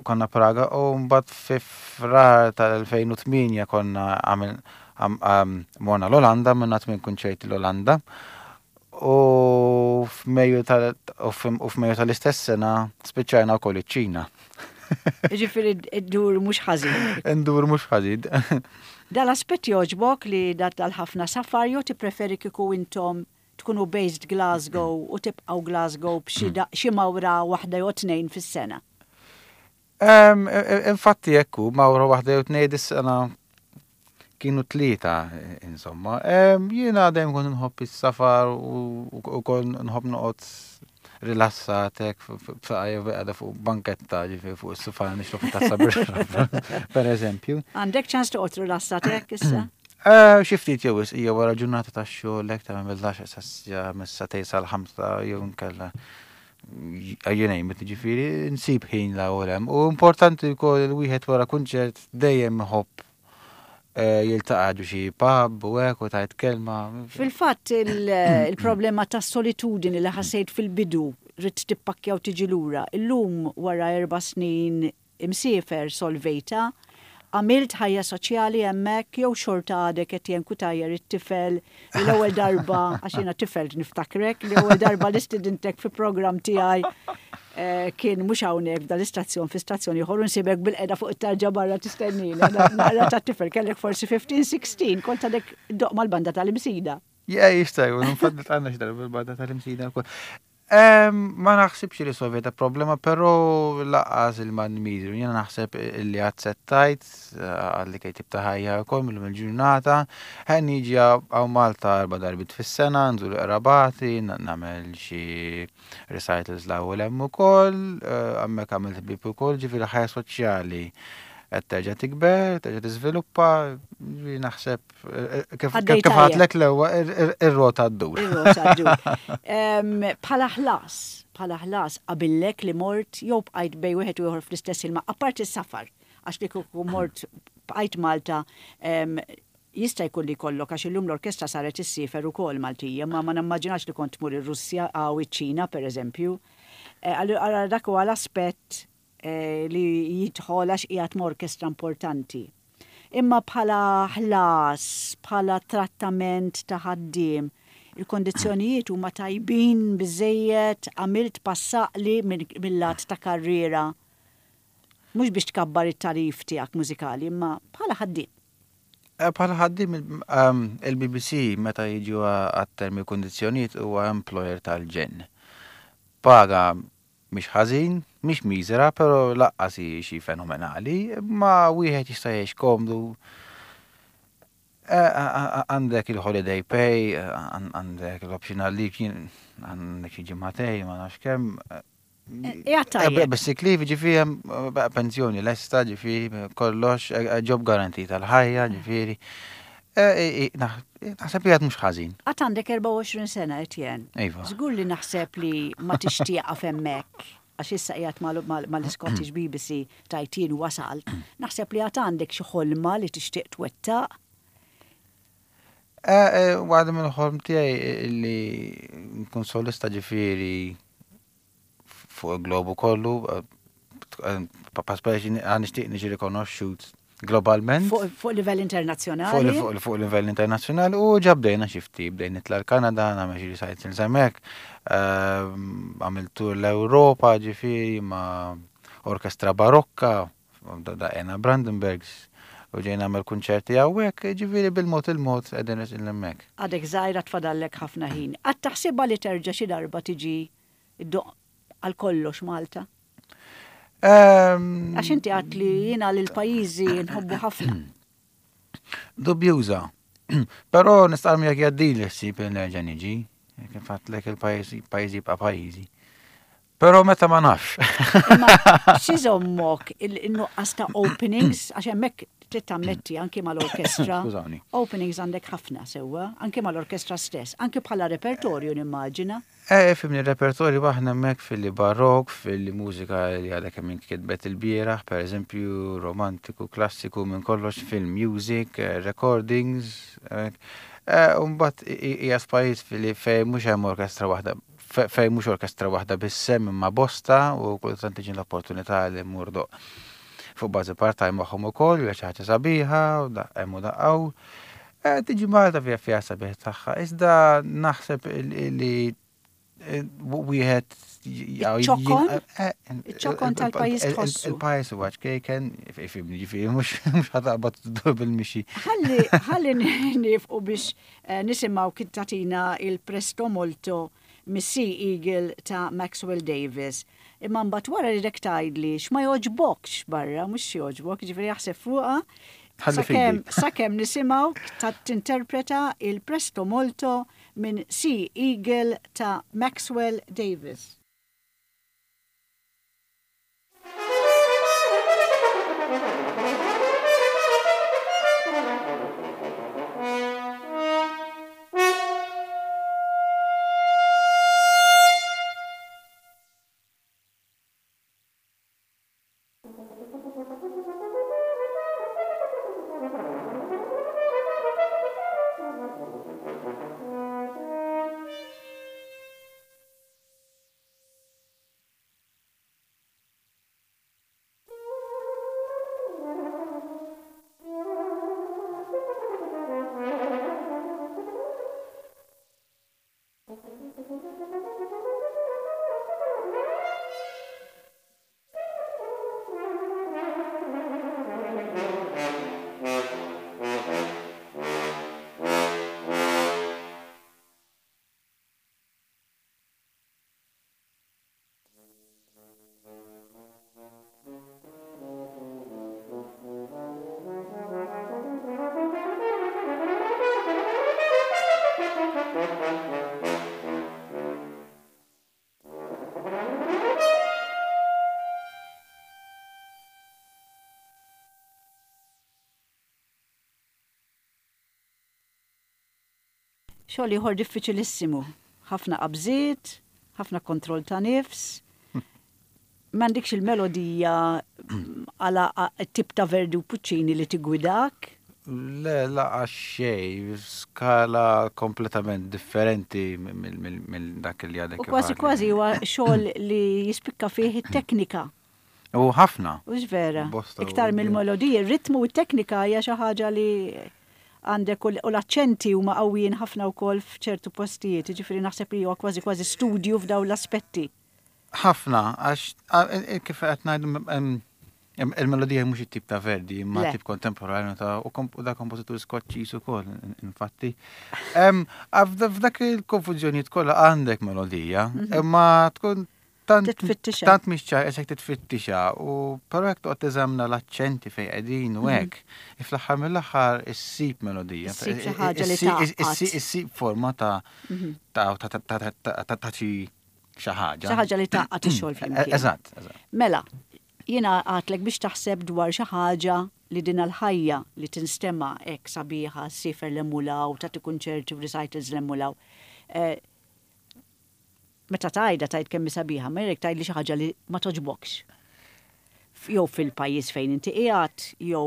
konna Praga, u mbagħad fi Frar tal-elfejn u tmienja konna għamil għam- għam- morna l-Olanda, minna tmien kunċerti l-Olanda. U f'Mejju tal- u f'Mejju u f'Mejju tal-istess sena spiċċajna wkoll iċ-Ċina. Ġifieri ddur mhux ħażin. Ndur mhux ħażin. Dal-aspett joġbok li dat dal-ħafna safar jew tippreferi kieku intom tkunu based Glasgow u tibqgħu Glasgow b'xi da- xi mawra waħda jew tnejn fis-sena? Em, e- Infatti ekku, mawra waħda jew tnejn, dis-sena kienu tlieta, insomma. Em, Jiena dejjem kont nħobb is-safar u u kont nħobb noqgħod rilassat hekk b'saqajja għada fuq banketta, ġifieri fuq is-sufan nixrob tazza birra, per eżempju. Għandek ċans toqgħod rilassat hekk issa? Eh, Xi ftit jew wisq, hija wara ġurnata ta' xogħol hekk ta' mill-għaxar sa mis-sagħtejn sal-ħamsa jew nkella you name it, ġifieri nsib ħin la u hemm. U importanti wkoll il-wieħed wara kunċert dejjem iħobb eh, jiltaqa' ġo xi pub u hekk u tgħid kelma. Fil-fatt il- il-problema ta' solitudini li ħassejt fil-bidu, ridt tippakkja u tiġi lura. Illum, wara erba' snin imsiefer, solvejta? Għamilt ħajja soċjali hemmhekk jew xorta għadek qed Cutajar it-tifel li l-ewwel darba, għax jiena tifel niftakrek, li ewwel darba li stidintek fi programm tiegħi eh, kien mhux hawnhekk dal-istazzjon, fi stazzjon ieħor, nsibek bilqiegħda fuq it-tarġa barra tistennini. Naqra ta' tifel, kellek forsi ħmistax sittax, kont għadek iddoqq mal-banda tal-Imsida. Ja, jista' jkun, infatti għandna xi darba bil-banda tal-Imsida wkoll. Em, Ma naħsibx li solvejta problema, però lanqas il-man miżru. Jiena naħseb li aċċettajt għalli kej tip ta' ħajja wkoll mill il-ġurnata. Ħen niġi hawn Malta erba' darbiet fis-sena, nżur qrabati, nagħmel xi recitals l hemm ukoll, eh, hemmhekk għamilt ħbieb ukoll, ġifieri ħajja soċjali qed terġa' tikber, terġa' tiżviluppa, ġifieri naħseb eh, kif Għaddej kif kif tajjeb. għedtlek l-ewwel ir-rota ddur. Ir-rota ddur. Em, Bħala ħlas, bħala ħlas qabillek li mort jew bqajt bejn wieħed u ieħor fl-istess ilma, apparti s-safar, għax li kieku mort bqajt Malta, em, jista' jkun li kollok, għax illum l-orkestra saret issiefer ukoll Maltija, ma ma nimmaġinax li kont tmur ir-Russja għaw iċ-Ċina pereżempju. Eh, Allura dak huwa l-aspett eh, li jidħol għax qiegħed orkestra importanti. Imma bħala ħlas, bħala trattament ta' ħaddiem, il-kondizzjonijiet huma tajbin biżejjed, għamilt passaqli mill-lat ta' karriera? Mhux biex tkabbar it-tarif tiegħek mużikali, imma bħala ħaddiem. Eh, Bħala ħaddiem, il-B B C meta jiġu għat-termi u kondizzjonijiet huwa employer tal-ġenn. Paga mhix ħażin, mhix miżera, però lanqas hi xi fenomenali, ma wieħed jista' jgħix komdu. Eh, a- a- Għandek il-holiday pay, eh, għan- għandek l-optional leave, għandek xi ġimagħtejn, ma nafx kemm. Ija tajjeb. Basic leave, ġifieri, hemm pensjoni lesta, ġifieri, kollox, eh, job guarantee tal-ħajja, ġifieri. Eh, eh, Naħseb li għad mhux ħażin. Għad għandek erbgħa u għoxrin sena, Etienne. Iva. Żgur li naħseb li ma tixtieqa hemmhekk, għax issa qiegħed mal-Scottish B B C tajtin wasalt. Naħseb li għad għandek xi ħolma li tixtieq twettaq. Waħda mill-ħolm tiegħi li nkun solista, ġifieri fuq il-globu kollu, speċi nixtieq niġi rikonoxxut globalment. Fuq fuq livell internazzjonali. Fuq fuq livell internazzjonali, u ġa bdejna xi ftit, bdejna nitla' l-Kanada, nagħmel xi recitals hemmhekk, għamilt tour l-Ewropa, ġifieri ma' orkestra barokka, daqqejna Brandenburgs, u ġejna nagħmel kunċerti hawnhekk, ġifieri bil-mod il-mod qegħdin nersqu hemmhekk. Għadek żgħira, tfadallek ħafna ħin. Għad taħsibha li terġa' xi darba tiġi iddoqq għal kollox Malta? Ehm, Għax inti għedt li jiena lil pajjiżi nħobbu ħafna. Dubjuża. Però nistqarr miegħek jgħaddili ħsieb li nerġa' niġi, kif għedtlek il-pajjiż jibqa' pajjiżi. Però meta ma nafx. Imma x'iżommok il-nuqqas ta' openings, għax hemmhekk trid tammetti anki mal-orkestra. Skużawni. Openings għandek ħafna sewwa, anki mal-orkestra stess, anki bħala repertorju nimmaġina. Eh, fimni repertorju aħna hemmhekk fil-barok, fil-mużika li għadha kemm inkitbet il-bieraħ, per eżempju, romantiku, klassiku, minn kollox film music, eh, recordings. Eh, Umbagħad hija pajjiż fili fejn mhux hemm orkestra waħda, fejn mhux orkestra waħda biss hemm imma bosta u kultant tiġi l-opportunità li mmur ndoqq fuq bażi part-time magħhom ukoll, hija xi ħaġa sabiħa u hemm u daqgħu. Eh, tiġi Malta fija fija sabiħ tagħha, iżda naħseb li wieħed Iċ-ċokon? Iċ-ċokon tal-pajjiż tħossu. Il-pajjiż huwa ċkejken, ifhimni ġifieri mhux mhux ħa taqbad tdur bil-mixi. Ħalli ħalli nifqu biex eh, nisimgħu kif tagħtina il-Presto Molto mis-Sea Eagle ta' Maxwell Davies. Imma mbagħad wara li rek tgħidli x'ma jogħġbokx barra, mhux jogħġbok, ġifieri jaħseb fuqha. Ħalli Sakemm fidi. sakemm nisimgħu ta' tinterpreta il-Presto Molto minn Sea Eagle ta' Maxwell Davies. Xogħol ieħor diffiċilissimu. Ħafna qabżiet, ħafna kontroll ta' nifs. M'għandikx il-melodija għala tip ta' Verdi u Puccini li tigwidak. Le, lanqas xejn, skala kompletament differenti mill dak li għadek. U kważi kważi huwa xogħol li jispikka fih it-teknika. U ħafna. U vera. Bosta u- Iktar mill-melodija, ir-ritmu u t-teknika hija xi ħaġa li għandek u l-aċċenti huma qawwijin ħafna wkoll f'ċertu postijiet, jiġifieri naħseb li huwa kważi kważi studju f'dawn l-aspetti. Ħafna, għax kif qed ngħidu il-melodija mhux it-tip ta' Verdi, imma Le. tip kontemporanju ta' u komp- u da kompożitur Skoċċiż ukoll, infatti. Em, F'dak il-konfużjonijiet kollha għandek melodija, imma tkun tant Titfittixha. tant mhix ċar qisek titfittixha u però jekk toqgħod teżamna l-aċċenti fejn qegħdin u hekk, fl-aħħar mill-aħħar issib melodija. Issib xi ħaġa li Issib- tgħaqqad. issib- Issib forma ta' ta' ta' ta' ta' ta' ta' ta' xi xi ħaġa. Xi ħaġa li tgħaqqad ix-xogħol flimkien. Eżatt, eżatt. Mela, jiena għedtlek biex taħseb dwar xi ħaġa li din l-ħajja li tinstema' hekk sabiħa, ssiefer l-emulaw, tagħti kunċerti u recitals l-emulaw. Eh, Meta tgħidha tgħid kemm hi sabiħa, ma jekk tgħidli xi ħaġa li ma togħġbokx. Jew fil-pajjiż fejn inti qiegħed, jew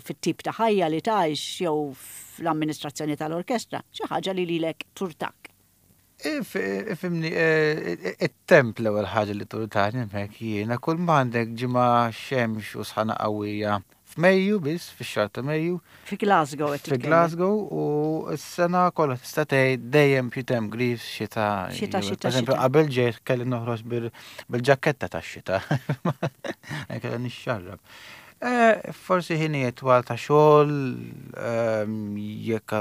fit-tip ta' ħajja li tgħix, jew fl-amministrazzjoni tal-orkestra, xi ħaġa li lilek turtak. Ifhimni, it-temp l-ewwel ħaġa li turtani hemmhekk jiena kull ma għandek ġimgħa xemx u sħana qawwija f'Mejju biss, fix-xahar ta' Mejju. Fi Glasgow qed Fi titkellem. Glasgow u s-sena kollha tista' tgħid dejjem xi temp griż, xita. Xita, xita, Per eżempju, xita. qabel ġejt kelli noħroġ bil-ġaketta tax-xita. Kelli nixxarrab. Eh, forsi ħinijiet twal ta' xogħol, ehm, jekk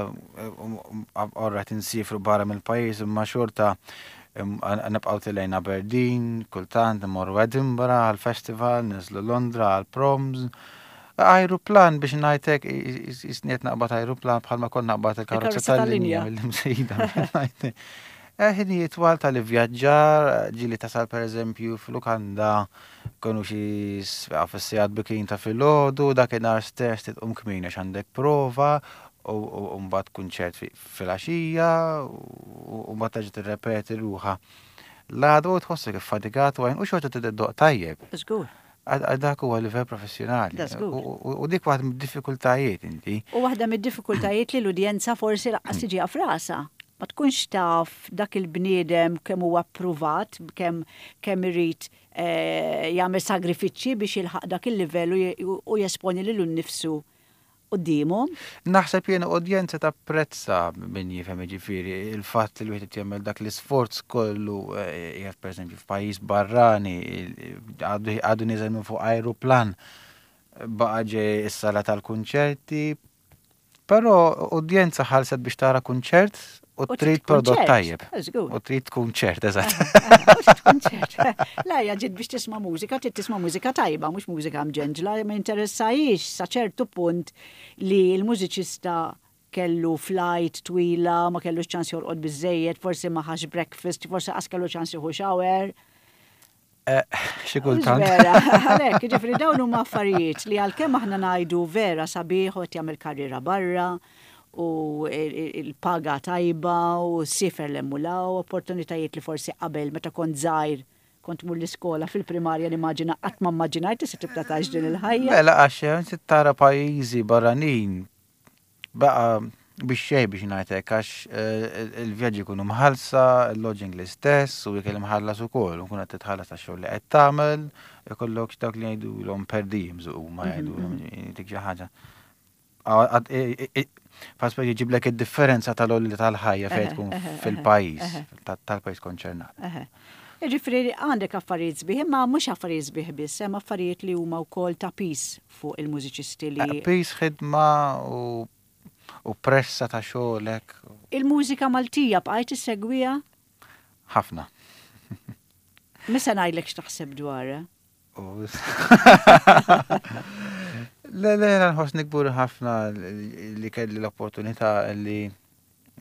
orra tinsifru barra mill-pajjiż imma xorta nibqgħu telgħin Aberdeen, kultant immorru Edinburgh għal-festival, niżlu Londra għal-proms. Aeroplan biex ngħidlek isniet naqbad aeroplan bħalma kont naqbad il-karozza tal-linja mill-Imsida. Ħinijiet twal tal-ivvjaġġar, ġieli tasal pereżempju f'lukanda konu xi fis-sigħat bikrin ta' filgħodu, dakinhar stess titqum kmieni għax għandek prova u mbagħad kunċert filgħaxija u mbagħad terġa' tirrepeti ruħha. L-għada u tħossok iffatigat u għajn u xorta tiddoqq tajjeb. Żgur. Għal dak huwa livell professjonali. U dik waħda mid-diffikultajiet inti. U waħda mid-diffikultajiet li l-udjenza forsi lanqas tiġiha f'rasha. Ma tkunx taf dak il-bniedem kemm huwa appruvat, kemm kemm irid eh, jagħmel sagrifiċċji biex jilħaq dak il-livell u jesponi lilu nnifsu quddiemhom. Naħseb jien udjenza tapprezza min jifhem, ġifieri il-fatt li wieħed jagħmel dak l-isforz kollu eh, qiegħed pereżempju f'pajjiż barrani, għadu niżel minn fuq aeroplan, baqa' ġej is-sala tal-kunċerti, però udjenza ħalset biex tara kunċert u trid prodott tajjeb. U trid kunċert, eżatt. Kunċert. La, ġiet biex tisma' mużika, trid tisma' mużika tajba, mhux mużika mġenġla, ma interessahiex sa ċertu punt li l-mużiċista kellu flight twila, ma kellux ċans jorqod biżejjed, forsi ma ħax breakfast, forsi qas kellu ċans jieħu shower. Eh, xi kultant. Vera, għalhekk, ġifieri dawn huma affarijiet li għalkemm aħna ngħidu vera sabiħ u qed jagħmel karriera barra u il-paga tajba u siefer l-emmulaw, opportunitajiet li forsi qabel meta kont żgħir kont mur l-iskola fil-primarja nimmaġina qatt ma mmaġinajt se tibda tgħix din il-ħajja. Mela għax inti tara pajjiżi barranin baqa biex xej biex ngħidlek għax eh, il-vjaġġi jkunu mħallsa, il-lodging l-istess u ikel imħallas ukoll, u nkun qed titħallas tax-xogħol li qed tagħmel, ikollok dawk li jgħidulhom per diems u ma jgħidulhom dik xi ħaġa. Faspa jġiblek id-differenza tal-għoli tal-ħajja fejn tkun fil-pajjiż, tal-pajjiż konċernat. Ġifieri għandek affarijiet sbieħ, imma mhux affarijiet sbieħ biss, hemm affarijiet li huma wkoll ta' piż fuq il-mużiċisti li. Piż, ħidma u u pressa ta' xogħolek. Il-mużika Maltija bqajt issegwiha? Ħafna. Misa ngħidlek x'taħseb dwarha. Le, le, nħossni kburi ħafna li kelli l-opportunità li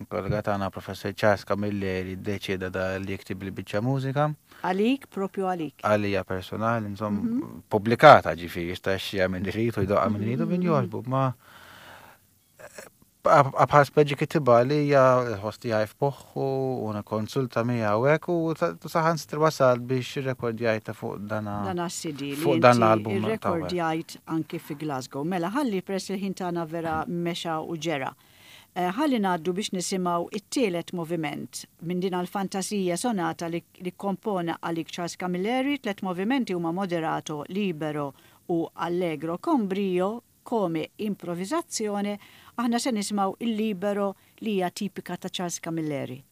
kollega tagħna Professor Charles Camilleri ddeċieda da li jiktib li biċċa mużika. Għalik, propju għalik. Għalija personali, insomma, pubblikata ġifieri, jista' jixtriha min irid u jdoqqa min irid u min jogħġbu, ma bħal speċi kitibha li hija l-ħoss tiegħi f'moħħu u nikkonsulta miegħu hekk u saħansitra wasal biex irrekordjajta fuq dan Dan C D li fuq dan l-album. Irrekordjajt anki fi Glasgow. Mela ħalli press il-ħin tagħna vera mexa u ġera. Eh, ħalli ngħaddu biex nisimgħu it-tielet moviment minn din għal-fantasija sonata li, li kompona għalik Charles Camilleri. Tlet movimenti huma moderato, libero u allegro con brio come improvvisazione. Aħna se nisimgħu il-libero li hija tipika ta' Charles Camilleri.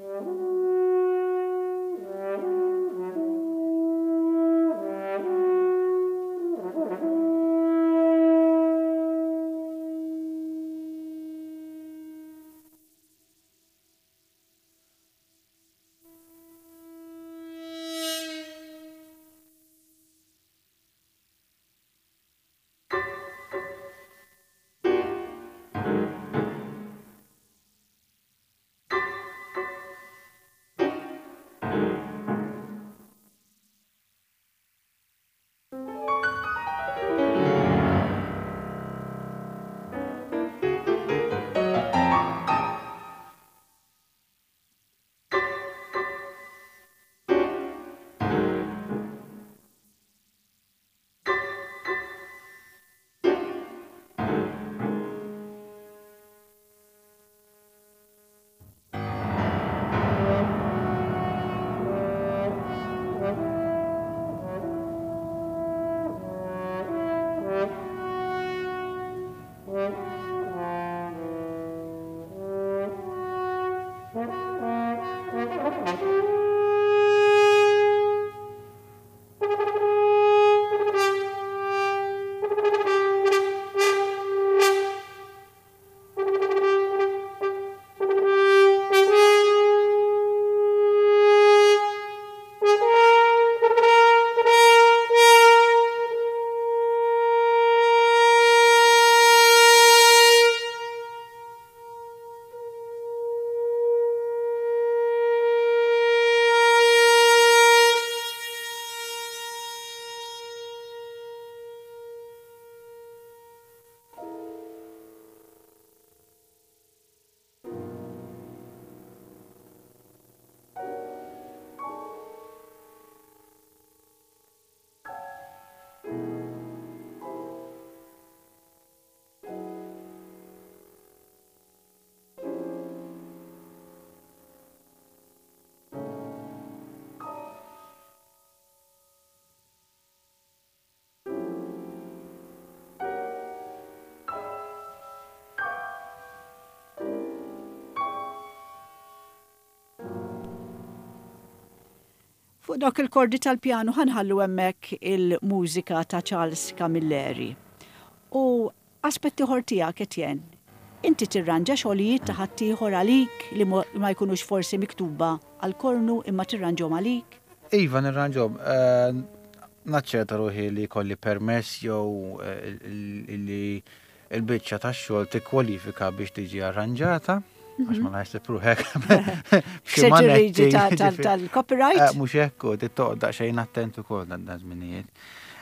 Thank Fuq dawk il-kordi tal-pjanu ħa nħallu hemmhekk il-mużika ta' Charles Camilleri. U aspett ieħor tiegħek, Etienne, inti tirranġa xogħlijiet ta' ħaddieħor għalik li ma jkunux forsi miktuba għal-kornu imma tirranġhom għalik? Iva, nirranġhom. Eh, naċċerta ruħi li kelli permess jew eh, li il-biċċa tax-xogħol tikkwalifika biex tiġi arranġata, għax ma naħseb ruħek. B'xi tal-copyright? Eh, mhux hekk, toqgħod daqsxejn attent ukoll dan żminijiet.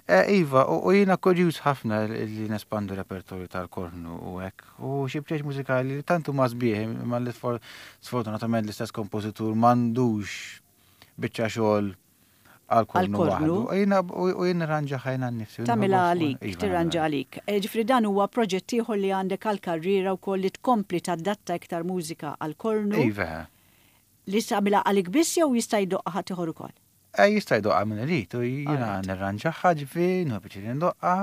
Eh, iva, u jiena kurjuż ħafna li nespandu repertorju tal-kornu u hekk. U xi bċeċ mużikali li tantu ma sbieħ, ma li sfortunatament l-istess kompożitur m'għandux biċċa xogħol għal-kornu waħdu. U jien nirranġaha jiena nnifsi. Tagħmilha għalik, iva, tirranġa għalik. E, ġifieri dan huwa proġett ieħor li għandek għal-karriera wkoll li tkompli tadatta iktar mużika għal-kornu. Iva. Li tagħmilha għalik biss jew jista' jdoqqa ħadd ieħor ukoll? E, jista' jdoqqa min irid u jiena nirranġaha ġifieri, nieħu pjaċir ndoqqa.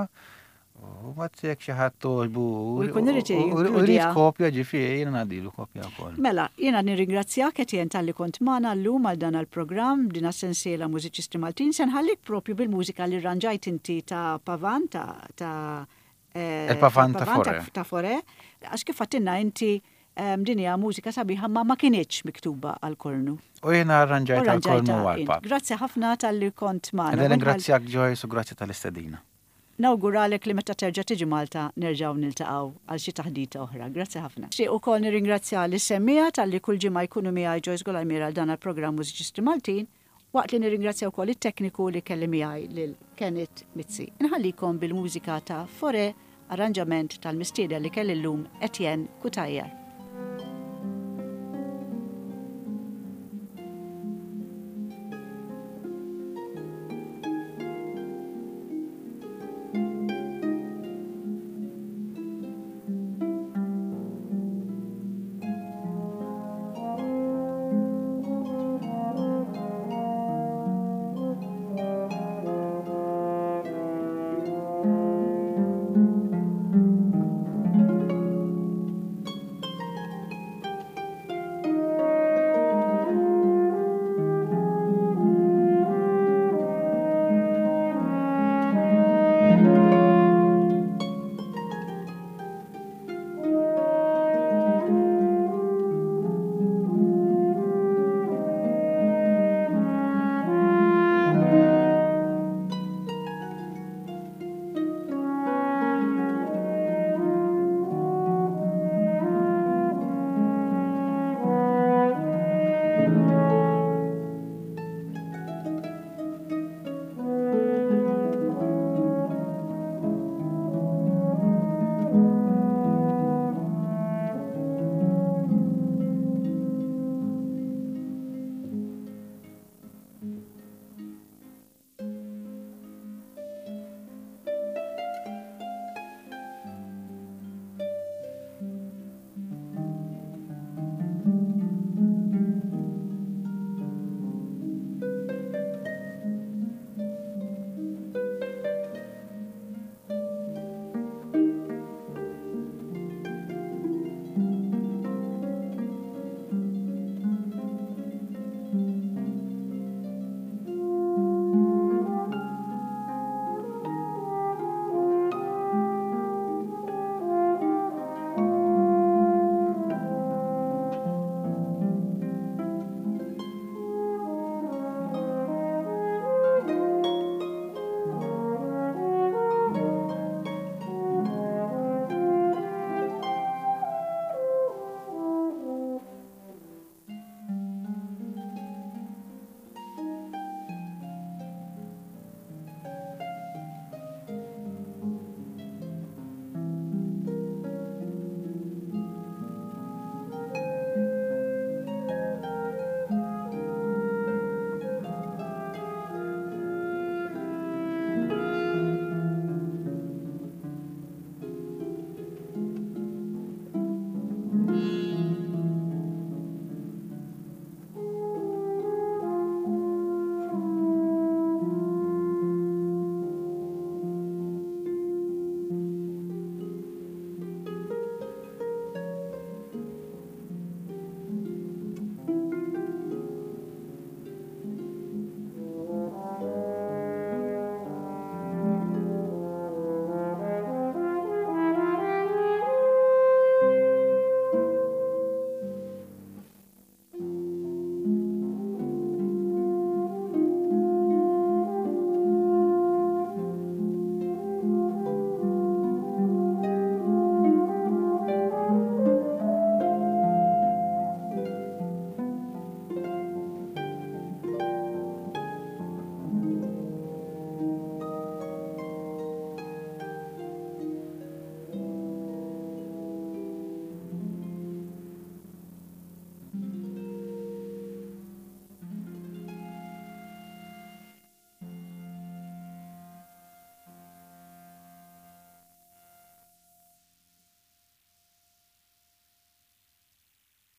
U ma jekk xi ħadd togħġbu. U jkun irid U jrid kopja ġifieri jiena ngħaddilu kopja wkoll. Mela, jiena nirringrazzjak, Etienne, talli kont magħna llum għal dan il-programm din sensiela Mużiċisti Maltin. Se nħallik propju bil-mużika li rranġajt inti ta' Pavan ta' ta' eh, Il-Pavan ta' Fauré. Ta' Fauré. Għax kif għedtilna inti din hija mużika sabiħa ma ma kinitx miktuba għal-kornu. U jiena arranġajt għal-kornu għal-arpa. Grazzi ħafna talli kont magħna. Nirringrazzjak, Joyce, u grazzi tal-istedina. Nawguralek li meta terġa' tiġi Malta nerġgħu niltaqgħu għal xi taħdita oħra. Grazzi ħafna. Nixtieq ukoll nirringrazzja lis-semmiegħa talli kull ġimgħa jkunu miegħi Joyce Golajmira għal dan il-programm Mużiċisti Maltin, waqt li nirringrazzja wkoll it-tekniku li kelli miegħi lil Kenneth Mizzi. Inħallikom bil-mużika ta' Fauré, arranġament tal-mistieden li kelli llum, Etienne Cutajar.